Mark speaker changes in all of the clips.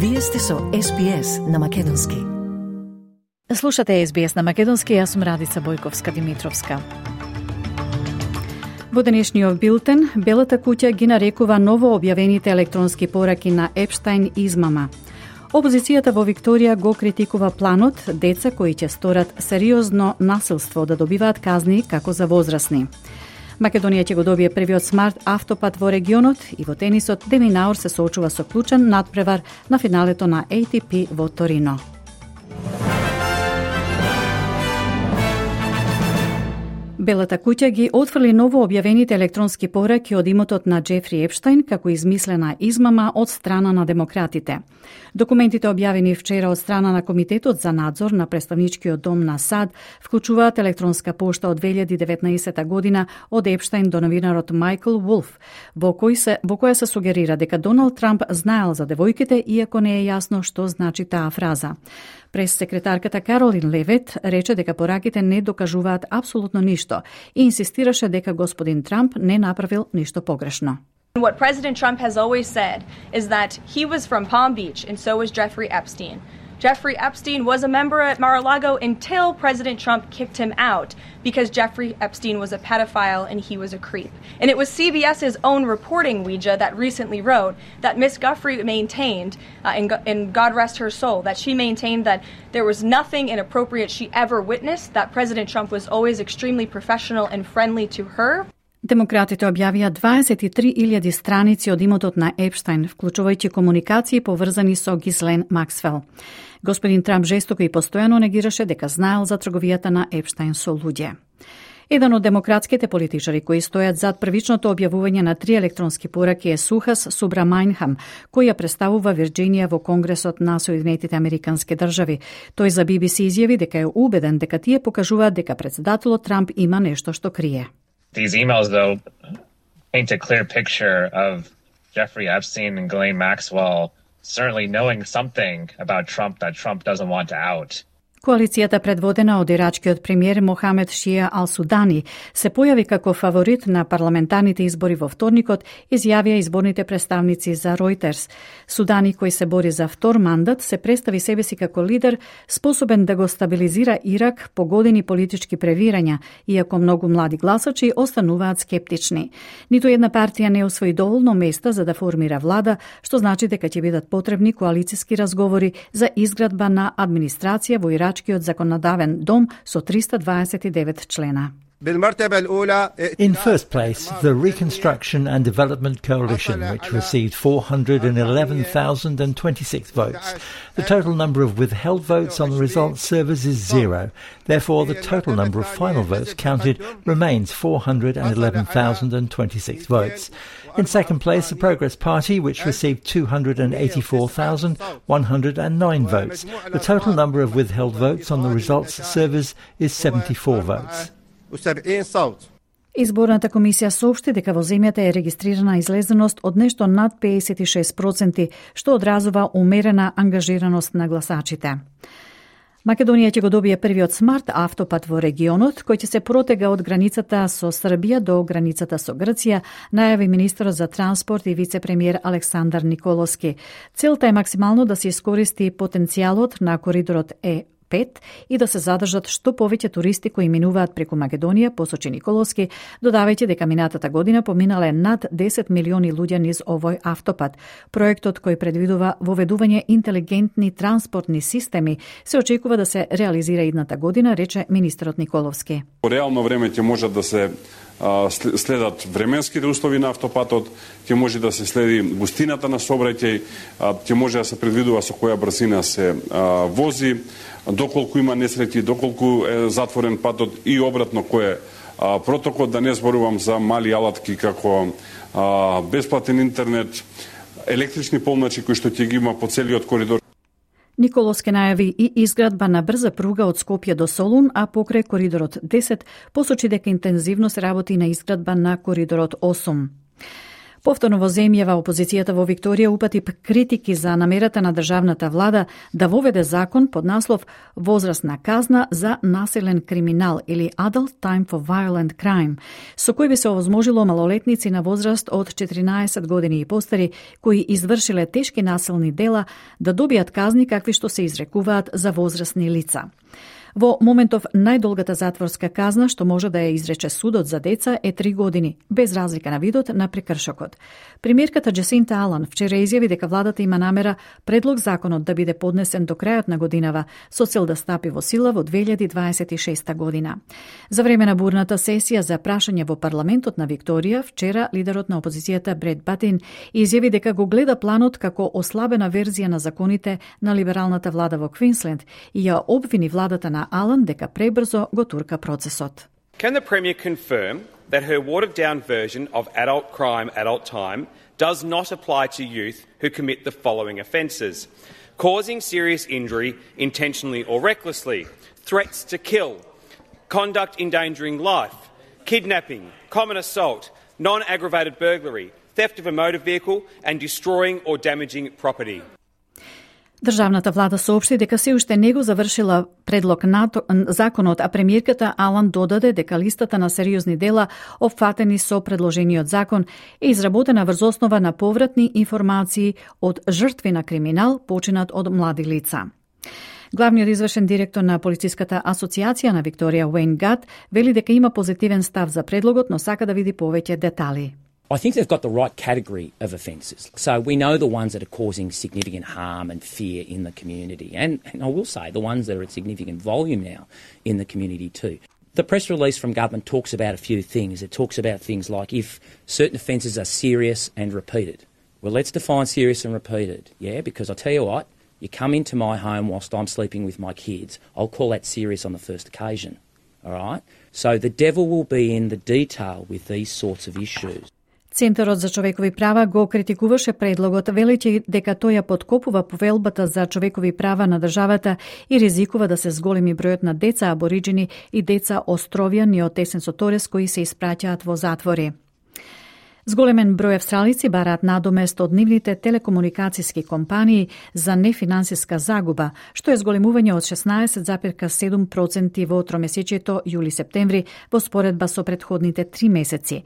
Speaker 1: Вие сте со SBS на македонски.
Speaker 2: Слушате SBS на македонски, јас сум Радица Бојковска-Димитровска. Во денешниот билтен, Белата куќа ги нарекува ново објавените електронски пораки на Епштајн измама. Опозицијата во Викторија го критикува планот деца кои ќе сторат сериозно насилство да добиваат казни како за возрасни. Македонија ќе го добие првиот смарт автопат во регионот и во тенисот Де Minaur се соочува со клучен надпревар на финалето на ATP во Торино. Белата куќа ги отфрли ново објавените електронски пораки од имотот на Џефри Епштајн како измислена измама од страна на демократите. Документите објавени вчера од страна на Комитетот за надзор на Представничкиот дом на САД вклучуваат електронска пошта од 2019 година од Епштајн до новинарот Майкл Вулф, во која се сугерира дека Доналд Трамп знаел за девојките, иако не е јасно што значи таа фраза. Прес-секретарката Каролин Левет рече дека пораките не докажуваат апсолутно ништо и инсистираше дека господин Трамп не направил ништо погрешно.
Speaker 3: What President Trump has always said is that he was from Palm Beach and so was Jeffrey Epstein. Jeffrey Epstein was a member at Mar-a-Lago until President Trump kicked him out because Jeffrey Epstein was a pedophile and he was a creep. And it was CBS's own reporting, Ouija, that recently wrote that Miss Guffrey maintained, and God rest her soul, that she maintained that there was nothing inappropriate she ever witnessed, that President Trump was always extremely professional and friendly to her.
Speaker 2: Демократите објавија 23.000 страници од имотот на Епштајн, вклучувајќи комуникации поврзани со Гислен Максвел. Господин Трамп жестоко и постојано негираше дека знаел за трговијата на Епштајн со луѓе. Еден од демократските политичари кои стојат зад првичното објавување на 3 електронски пораки е Сухас Субрамањхам, кој ја представува Вирџинија во Конгресот на Соединетите Американски држави. Тој за BBC изјави дека е убеден дека тие покажуваат дека претседателот Трамп има нешто што крие.
Speaker 4: These emails, though, paint a clear picture of Jeffrey Epstein and Ghislaine Maxwell certainly knowing something about Trump that Trump doesn't want to out.
Speaker 2: Коалицијата предводена од ирачкиот премиер Мохамед Шија Ал-Судани се појави како фаворит на парламентарните избори во вторникот, изјавија изборните представници за Reuters. Судани, кој се бори за втор мандат, се представи себе си како лидер способен да го стабилизира Ирак по години политички превирања, иако многу млади гласачи остануваат скептични. Ниту една партија не освои доволно места за да формира влада, што значи дека ќе бидат потребни коалициски разговори за изградба на администрација во Ирак законодавен дом со 329 члена.
Speaker 5: In first place, the Reconstruction and Development Coalition, which received 411,026 votes. The total number of withheld votes on the results servers is 0. Therefore, the total number of final votes counted remains 411,026 votes. In second place, the Progress Party, which received 284,109 votes. The total number of withheld votes on the results servers is 74 votes.
Speaker 2: Изборната комисија соопшти дека во земјата е регистрирана излезеност од нешто над 56%, што одразува умерена ангажираност на гласачите. Македонија ќе го добие првиот смарт автопат во регионот, кој ќе се протега од границата со Србија до границата со Грција, најави министерот за транспорт и вице-премиер Александар Николовски. Целта е максимално да се искористи потенцијалот на коридорот Е5 и да се задржат што повеќе туристи кои минуваат преку Македонија, посочи Николовски, додавајќи дека минатата година поминале над 10 милиони луѓе низ овој автопат. Проектот кој предвидува воведување интелигентни транспортни системи се очекува да се реализира идната година, рече министерот Николовски.
Speaker 6: Во реално време ќе може да се следат временските услови на автопатот, ќе може да се следи густината на сообраќај, ќе може да се предвидува со која брзина се вози, доколку има несреќи, доколку е затворен патот и обратно кој е протокол, да не зборувам за мали алатки како бесплатен интернет, електрични полначи кои што ќе ги има по целиот коридор.
Speaker 2: Николовски најави и изградба на брза пруга од Скопје до Солун, а покрај коридорот 10 посочи дека интензивно се работи на изградба на коридорот 8. Повторно во земјава опозицијата во Викторија упати критики за намерата на државната влада да воведе закон под наслов возрастна казна за насилен криминал или Adult Time for Violent Crime, со кој би се овозможило малолетници на возраст од 14 години и постари кои извршиле тешки насилни дела да добијат казни какви што се изрекуваат за возрастни лица. Во моментов најдолгата затворска казна што може да ја изрече судот за деца е 3 години, без разлика на видот на прекршокот. Премиерката Джесинта Алан вчера изјави дека владата има намера предлог законот да биде поднесен до крајот на годинава со цел да стапи во сила во 2026 година. За време на бурната сесија за прашање во парламентот на Викторија, вчера лидерот на опозицијата Бред Батин изјави дека го гледа планот како ослабена верзија на законите на либералната влада во Квинсленд и ја обвини владата на Алан дека пребрзо го турка процесот.
Speaker 7: Can the Premier confirm that her watered-down version of adult crime, adult time does not apply to youth who commit the following offences: causing serious injury intentionally or recklessly, threats to kill, conduct endangering life, kidnapping, common assault, non-aggravated burglary, theft of a motor vehicle and destroying or damaging property.
Speaker 2: Државната влада соопшти дека се уште не го завршила предлог на законот, а премиерката Алан додаде дека листата на сериозни дела опфатени со предложениот закон е изработена врз основа на повратни информации од жртви на криминал починат од млади лица. Главниот извршен директор на Полициската асоциација на Викторија Уейн Гат вели дека има позитивен став за предлогот, но сака да види повеќе детали.
Speaker 8: I think they've got the right category of offences. So we know the ones that are causing significant harm and fear in the community. And I will say the ones that are at significant volume now in the community too. The press release from government talks about a few things. It talks about things like if certain offences are serious and repeated. Well, let's define serious and repeated, yeah? Because I tell you what, you come into my home whilst I'm sleeping with my kids, I'll call that serious on the first occasion, all right? So the devil will be in the detail with these sorts of issues.
Speaker 2: Центарот за човекови права го критикуваше предлогот, велејќи дека тој ја подкопува повелбата за човекови права на државата и ризикува да се зголеми бројот на деца абориджини и деца островјани од тесен со Торес кои се испраќаат во затвори. Зголемен број австралици бараат надомест од нивните телекомуникацијски компании за нефинансиска загуба, што е зголемување од 16,7% во тромесечието јули-септември во споредба со претходните 3 месеци.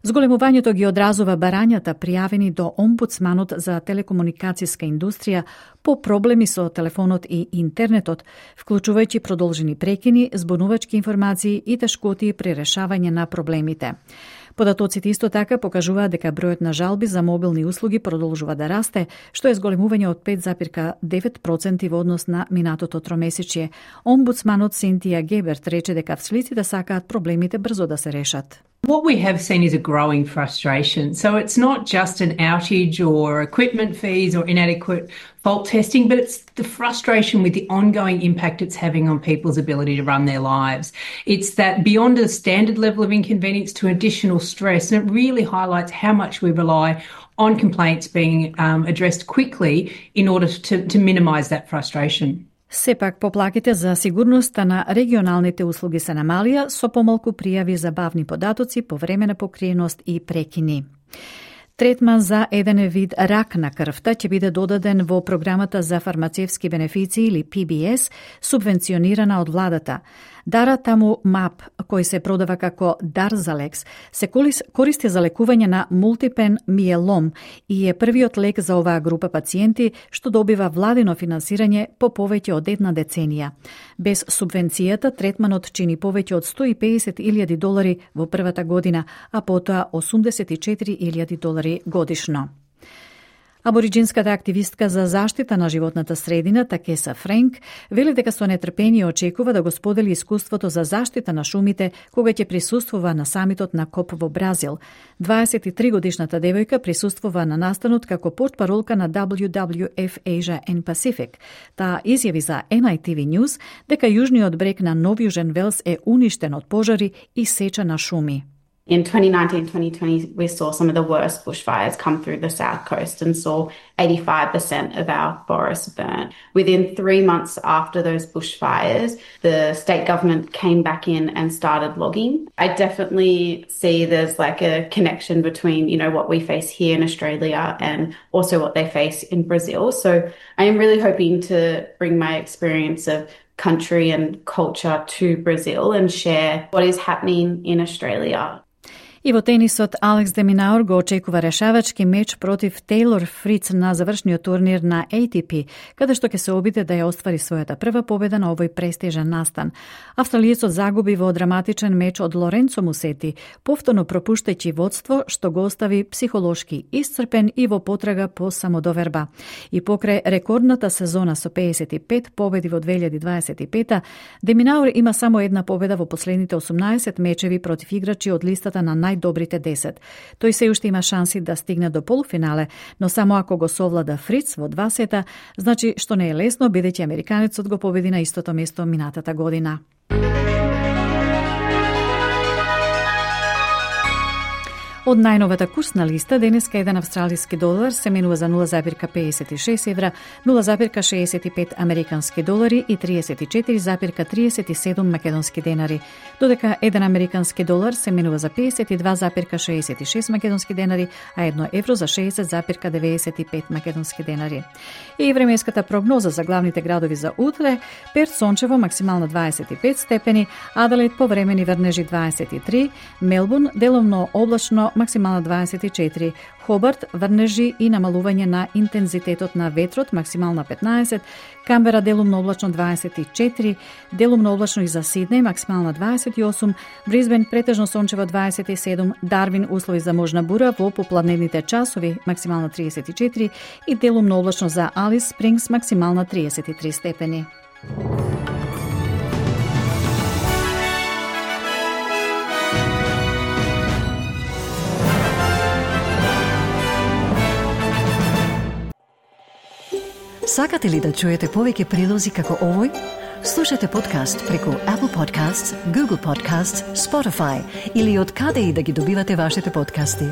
Speaker 2: Зголемувањето ги одразува барањата пријавени до омбудсманот за телекомуникацијска индустрија по проблеми со телефонот и интернетот, вклучувајќи продолжени прекини, збунувачки информации и тешкоти при решавање на проблемите. Податоците исто така покажуваат дека бројот на жалби за мобилни услуги продолжува да расте, што е зголемување од 5,9% во однос на минатото тромесечие. Омбудсманот Синтија Геберт рече дека австралиците сакаат проблемите брзо да се решат.
Speaker 9: What we have seen is a growing frustration. So it's not just an outage or equipment fees or inadequate fault testing, but it's the frustration with the ongoing impact it's having on people's ability to run their lives. It's that beyond a standard level of inconvenience to additional stress, and it really highlights how much we rely on complaints being addressed quickly in order to minimise that frustration.
Speaker 2: Сепак, поплаките за сигурноста на регионалните услуги се намалија со помалку пријави за бавни податоци по време на покриеност и прекини. Третман за еден вид рак на крвта ќе биде додаден во програмата за фармацевски бенефиции или PBS, субвенционирана од владата. Даратамумаб, кој се продава како Дарзалекс, се користи за лекување на мултипен миелом и е првиот лек за оваа група пациенти што добива владино финансирање по повеќе од една деценија. Без субвенцијата, третманот чини повеќе од $150,000 во првата година, а потоа $84,000 годишно. Абориджинската активистка за заштита на животната средина Такеса Френк вели дека со нетрпение очекува да го сподели искуството за заштита на шумите кога ќе присуствува на самитот на КОП во Бразил. 23-годишната девојка присуствува на настанот како портпаролка на WWF Asia and Pacific. Таа изјави за NITV News дека јужниот брег на Нов Јужен Велс е уништен од пожари и сеча на шуми.
Speaker 10: In 2019-2020, we saw some of the worst bushfires come through the south coast and saw 85% of our forests burnt. Within 3 months after those bushfires, the state government came back in and started logging. I definitely see there's like a connection between, what we face here in Australia and also what they face in Brazil. So I am really hoping to bring my experience of country and culture to Brazil and share what is happening in Australia.
Speaker 2: И во тенисот Алекс де Минаур го очекува решавачки меч против Тейлор Фриц на завршниот турнир на ATP, каде што ќе се обиде да ја оствари својата прва победа на овој престижен настан. Австралиецот загуби во драматичен меч од Лоренцо Мусети, повторно пропуштајќи водство што го остави психолошки исцрпен и во потрага по самодоверба. И покрај рекордната сезона со 55 победи во 2025, де Минаур има само една победа во последните 18 мечеви против играчи од листата на најдобрите 10. Тој се уште има шанси да стигне до полуфинале, но само ако го совлада Фриц во 2 сета, значи што не е лесно, бидејќи американецот го победи на истото место минатата година. Од најновата курсна листа, денеска еден австралиски долар се менува за 0,56 евра, 0,65 американски долари и 34,37 македонски денари, додека еден американски долар се менува за 52,66 македонски денари, а 1 евро за 60,95 македонски денари. И временската прогноза за главните градови за утре: Перт сончево, максимално 25 степени, Аделаид повремени врнежи 23, Мелбурн делумно облачно, максимално 24, Хобарт врнежи и намалување на интензитетот на ветрот, максимално 15, Камбера делумно облачно 24, делумно облачно и за Сиднеј, максимално 28, Брисбен претежно сончево 27, Дарвин услови за можна бура во попладневните часови, максимално 34 и делумно облачно за Алис Спрингс, максимално 33 степени.
Speaker 1: Сакате ли да чуете повеќе прилози како овој? Слушате подкаст преку Apple Podcasts, Google Podcasts, Spotify или од каде и да ги добивате вашите подкасти.